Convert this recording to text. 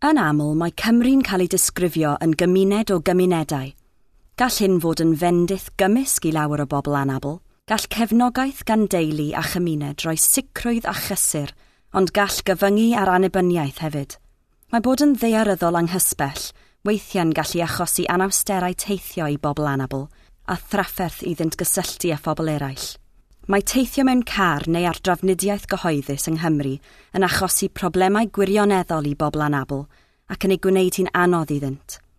Yn aml, mae Cymru'n cael ei disgrifio yn gymuned o gymunedau. Gall hyn fod yn fendith gymysg i lawer o bobl anabl. Gall cefnogaeth gan deulu a chymuned roi sicrwydd a chysur, ond gall gyfyngu ar annibyniaeth hefyd. Mae bod yn ddaearyddol anghysbell weithiau'n gallu achosi anawsterau teithio i bobl anabl a thrafferth iddynt gysylltu â phobl eraill. Mae teithio mewn car neu ar drafnidiaeth gyhoeddus yng Nghymru yn achosi problemau gwirioneddol i bobl anabl ac yn ei gwneud hi'n anodd iddynt.